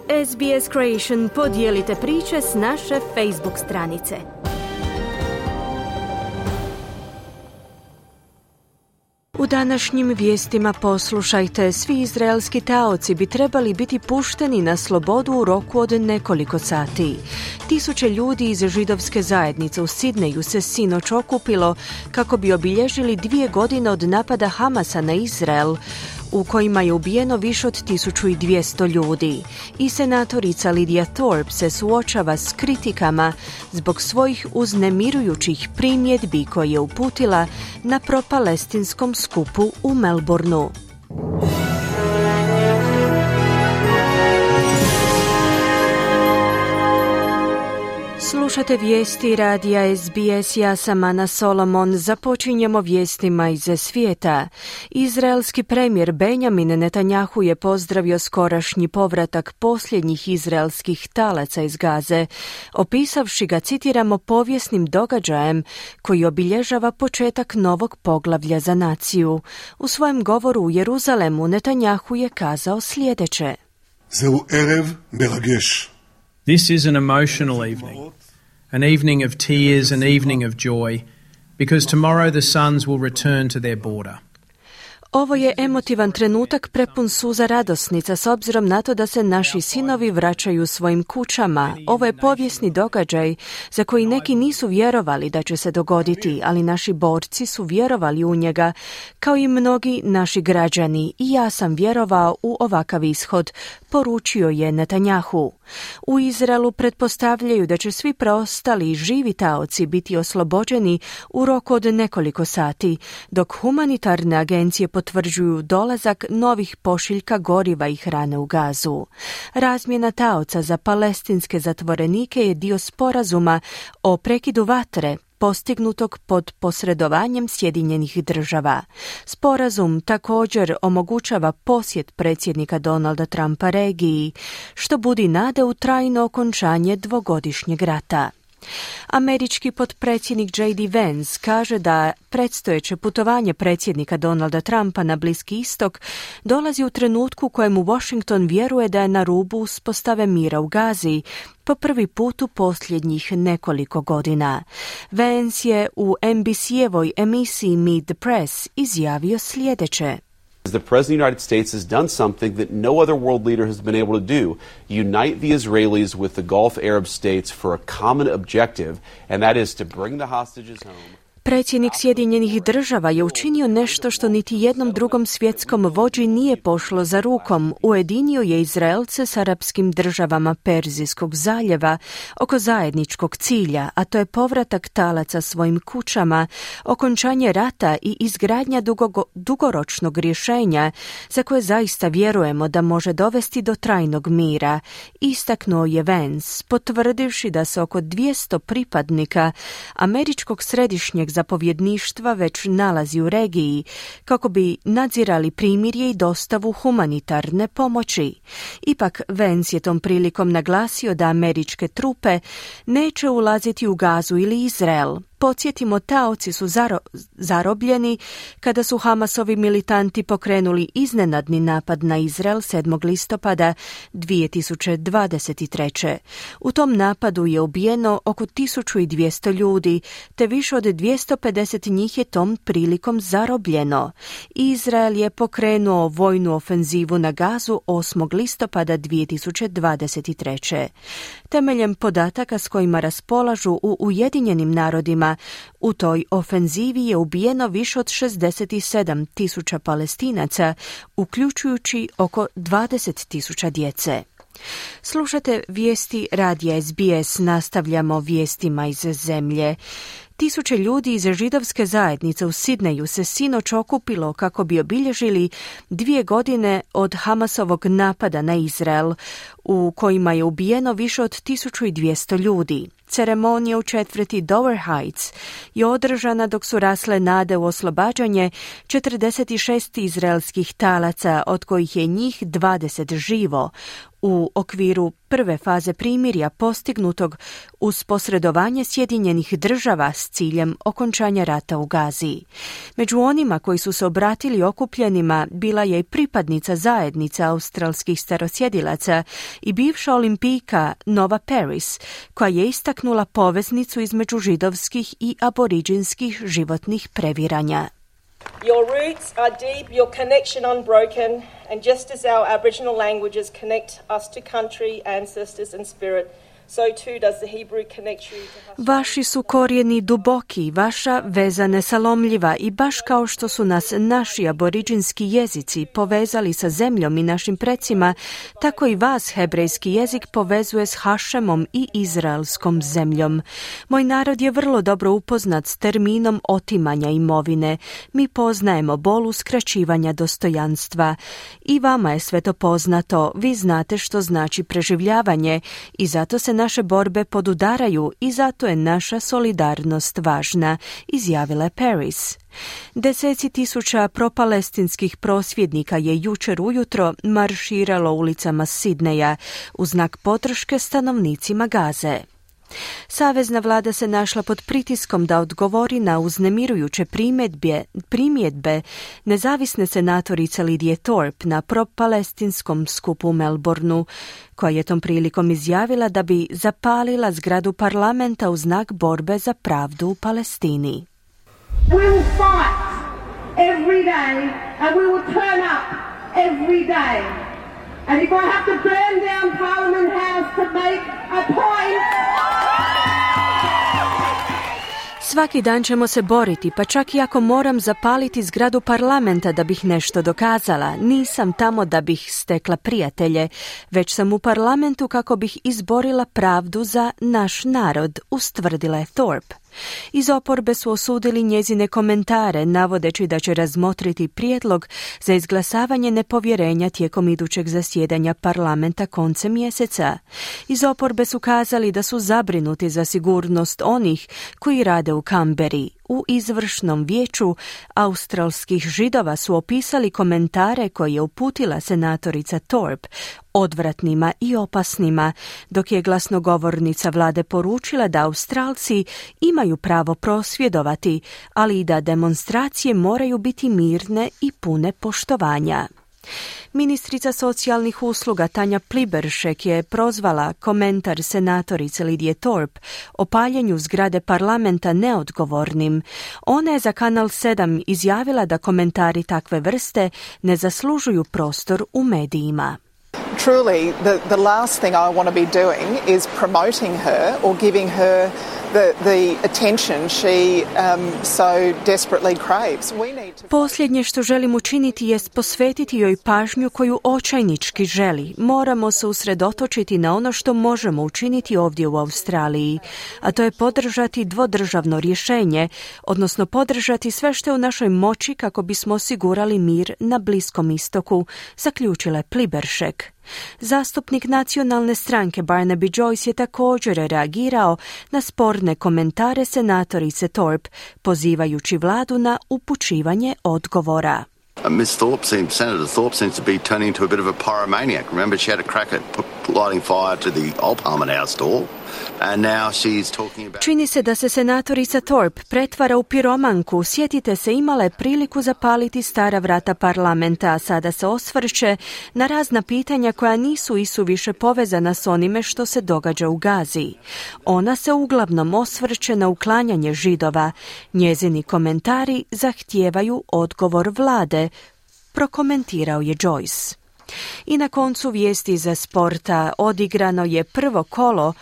SBS Creation, podijelite priče s naše Facebook stranice. U današnjim vijestima poslušajte, svi izraelski taoci bi trebali biti pušteni na slobodu u roku od nekoliko sati. Tisuće ljudi iz židovske zajednice u Sidneju se sinoć okupilo kako bi obilježili 2 godine od napada Hamasa na Izrael, u kojima je ubijeno više od 1200 ljudi. I senatorica Lydia Thorpe se suočava s kritikama zbog svojih uznemirujućih primjedbi koje je uputila na propalestinskom skupu u Melbourneu. Slušate vijesti radija SBS, ja sam Ana Solomon. Započinjemo vijestima iz svijeta. Izraelski premijer Benjamin Netanjahu je pozdravio skorašnji povratak posljednjih izraelskih talaca iz Gaze, opisavši ga, citiramo, povijesnim događajem koji obilježava početak novog poglavlja za naciju. U svojem govoru u Jeruzalemu Netanjahu je kazao sljedeće. Zeu erev meragesh. This is an emotional evening, an evening of tears, an evening of joy, because tomorrow the sons will return to their border. Ovo je emotivan trenutak prepun suza radosnica s obzirom na to da se naši sinovi vraćaju svojim kućama. Ovo je povijesni događaj za koji neki nisu vjerovali da će se dogoditi, ali naši borci su vjerovali u njega, kao i mnogi naši građani, i ja sam vjerovao u ovakav ishod, poručio je Netanjahu. U Izraelu pretpostavljaju da će svi preostali živi taoci biti oslobođeni u roku od nekoliko sati, dok humanitarne agencije potvrđuju dolazak novih pošiljka goriva i hrane u Gazu. Razmjena taoca za palestinske zatvorenike je dio sporazuma o prekidu vatre postignutog pod posredovanjem Sjedinjenih Država. Sporazum također omogućava posjet predsjednika Donalda Trumpa regiji, što budi nade u trajno okončanje dvogodišnjeg rata. Američki potpredsjednik J.D. Vance kaže da predstojeće putovanje predsjednika Donalda Trumpa na Bliski istok dolazi u trenutku kojemu Washington vjeruje da je na rubu uspostave mira u Gazi, po prvi put u posljednjih nekoliko godina. Vance je u NBC-evoj emisiji Meet the Press izjavio sljedeće. The President of the United States has done something that no other world leader has been able to do. Unite the Israelis with the Gulf Arab states for a common objective, and that is to bring the hostages home. Predsjednik Sjedinjenih Država je učinio nešto što niti jednom drugom svjetskom vođi nije pošlo za rukom. Ujedinio je Izraelce s arapskim državama Perzijskog zaljeva oko zajedničkog cilja, a to je povratak talaca svojim kućama, okončanje rata i izgradnja dugoročnog rješenja za koje zaista vjerujemo da može dovesti do trajnog mira, istaknuo je Vance, potvrdivši da se oko 200 pripadnika američkog središnjeg zapovjedništva već nalazi u regiji kako bi nadzirali primirje i dostavu humanitarne pomoći. Ipak Vance je tom prilikom naglasio da američke trupe neće ulaziti u Gazu ili Izrael. Podsjetimo, taoci su zarobljeni kada su Hamasovi militanti pokrenuli iznenadni napad na Izrael 7. listopada 2023. U tom napadu je ubijeno oko 1200 ljudi, te više od 250 njih je tom prilikom zarobljeno. Izrael je pokrenuo vojnu ofenzivu na Gazu 8. listopada 2023. Temeljem podataka s kojima raspolažu u Ujedinjenim narodima, u toj ofenzivi je ubijeno više od 67.000 Palestinaca, uključujući oko 20.000 djece. Slušate vijesti radija SBS, nastavljamo vijestima iz zemlje. Tisuće ljudi iz židovske zajednice u Sidneju se sinoć okupilo kako bi obilježili 2 godine od Hamasovog napada na Izrael, u kojima je ubijeno više od 1200 ljudi. Ceremonija u četvrti Dover Heights je održana dok su rasle nade u oslobađanje 46 izraelskih talaca, od kojih je njih 20 živo, u okviru prve faze primirja postignutog uz posredovanje Sjedinjenih Država s ciljem okončanja rata u Gazi. Među onima koji su se obratili okupljenima bila je i pripadnica zajednice australskih starosjedilaca i bivša olimpijka Nova Paris, koja je istaknula poveznicu između židovskih i aboriđinskih životnih previranja. Your roots are deep, your connection unbroken, and just as our Aboriginal languages connect us to country, ancestors and spirit, so too does the Hebrew connect you to Hashem. Vaši su korijeni duboki, vaša veza nesalomljiva i baš kao što su nas naši aboriđinski jezici povezali sa zemljom i našim precima, tako i vas hebrejski jezik povezuje s Hašemom i izraelskom zemljom. Moj narod je vrlo dobro upoznat s terminom otimanja imovine. Mi poznajemo bol uskraćivanja dostojanstva. I vama je sve to poznato, vi znate što znači preživljavanje i zato se naše borbe podudaraju i zato je naša solidarnost važna, izjavila je Paris. Deseci tisuća propalestinskih prosvjednika je jučer ujutro marširalo ulicama Sidneja u znak podrške stanovnicima Gaze. Savezna vlada se našla pod pritiskom da odgovori na uznemirujuće primjedbe nezavisne senatorice Lidije Thorpe na propalestinskom skupu u Melbourneu, koja je tom prilikom izjavila da bi zapalila zgradu parlamenta u znak borbe za pravdu u Palestini. We will fight every day and we will turn up every day. And if I have to burn down Parliament House to make a point... Svaki dan ćemo se boriti, pa čak i ako moram zapaliti zgradu parlamenta da bih nešto dokazala. Nisam tamo da bih stekla prijatelje, već sam u parlamentu kako bih izborila pravdu za naš narod, ustvrdila je Thorpe. Iz oporbe su osudili njezine komentare, navodeći da će razmotriti prijedlog za izglasavanje nepovjerenja tijekom idućeg zasjedanja parlamenta koncem mjeseca. Iz oporbe su kazali da su zabrinuti za sigurnost onih koji rade u Kamberi. U izvršnom vijeću australskih židova su opisali komentare koje je uputila senatorica Thorpe odvratnima i opasnima, dok je glasnogovornica vlade poručila da Australci imaju pravo prosvjedovati, ali i da demonstracije moraju biti mirne i pune poštovanja. Ministrica socijalnih usluga Tanja Pliberšek je prozvala komentar senatorice Lidije Thorpe o paljenju zgrade parlamenta neodgovornim. Ona je za Kanal 7 izjavila da komentari takve vrste ne zaslužuju prostor u medijima. Truly, the last thing I want to be doing is promoting her or giving her the attention she so desperately craves. Posljednje što želim učiniti jest posvetiti joj pažnju koju očajnički želi. Moramo se usredotočiti na ono što možemo učiniti ovdje u Australiji, a to je podržati dvodržavno rješenje, odnosno podržati sve što je u našoj moći kako bismo osigurali mir na Bliskom istoku, zaključila je Pliberšek. Zastupnik nacionalne stranke Barnaby Joyce je također reagirao na sporne komentare senatorice Thorpe, pozivajući vladu na upućivanje odgovora. Senator Thorpe seems to be turning into a bit of a pyromaniac. Remember, she had a crack at lighting fire to the old Parliament House door. And now she's talking about... Čini se da se senatorica Thorpe pretvara u piromanku. Sjetite se, imala je priliku zapaliti stara vrata parlamenta, a sada se osvrće na razna pitanja koja nisu isuviše povezana s onime što se događa u Gazi. Ona se uglavnom osvrće na uklanjanje Židova. Njezini komentari zahtijevaju odgovor vlade, prokomentirao je Joyce. I na koncu vijesti za sporta. Odigrano je prvo kolo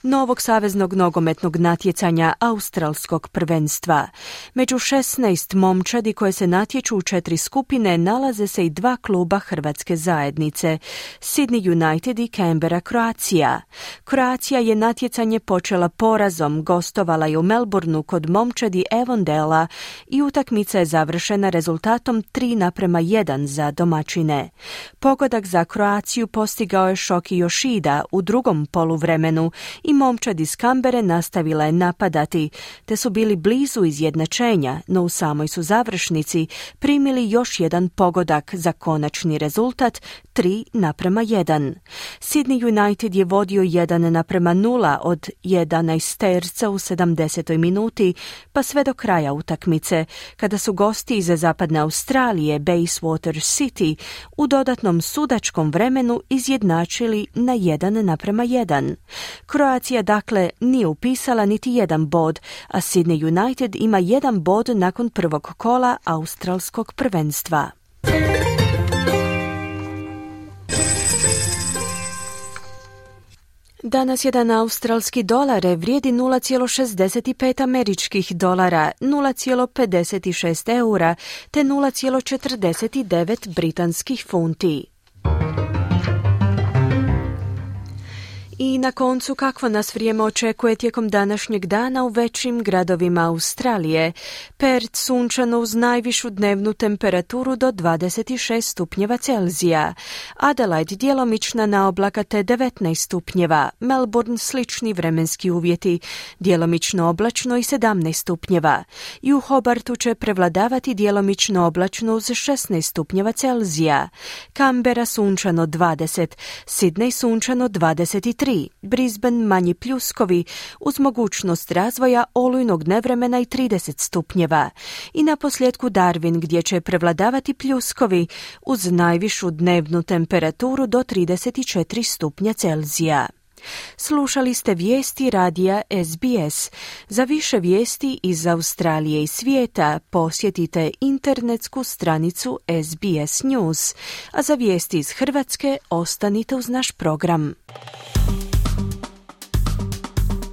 novog saveznog nogometnog natjecanja australskog prvenstva. Među 16 momčadi koje se natječu u 4 skupine nalaze se i 2 kluba hrvatske zajednice, Sydney United i Canberra Croatia. Croatia je natjecanje počela porazom, gostovala je u Melbourneu kod momčadi Avondale i utakmica je završena rezultatom 3:1 za domaćine. Pogodak za Croaciju postigao je Shoki Yoshida u drugom poluvremenu i i momčad iz Kambere nastavila je napadati, te su bili blizu izjednačenja, no u samoj su završnici primili još jedan pogodak za konačni rezultat 3:1. Sydney United je vodio 1:0 od 11 terca u 70. minuti, pa sve do kraja utakmice, kada su gosti iz zapadne Australije, Bayswater City, u dodatnom sudačkom vremenu izjednačili na 1:1. Kroacija dakle nije upisala niti jedan bod, a Sydney United ima 1 bod nakon prvog kola australskog prvenstva. Danas jedan australski dolar vrijedi 0,65 američkih dolara, 0,56 eura te 0,49 britanskih funti. I na koncu, kakvo nas vrijeme očekuje tijekom današnjeg dana u većim gradovima Australije. Perth sunčano uz najvišu dnevnu temperaturu do 26 stupnjeva Celzija. Adelaide djelomična naoblaka te 19 stupnjeva. Melbourne slični vremenski uvjeti, djelomično oblačno i 17 stupnjeva. I u Hobartu će prevladavati djelomično oblačno uz 16 stupnjeva Celzija. Canberra sunčano 20, Sydney sunčano 23. Brisbane manji pljuskovi uz mogućnost razvoja olujnog nevremena i 30 stupnjeva. I na posljedku Darwin gdje će prevladavati pljuskovi uz najvišu dnevnu temperaturu do 34 stupnja Celzija. Slušali ste vijesti radija SBS. Za više vijesti iz Australije i svijeta posjetite internetsku stranicu SBS News, a za vijesti iz Hrvatske ostanite uz naš program.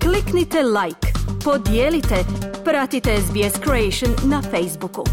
Kliknite like, podijelite, pratite SBS Creation na Facebooku.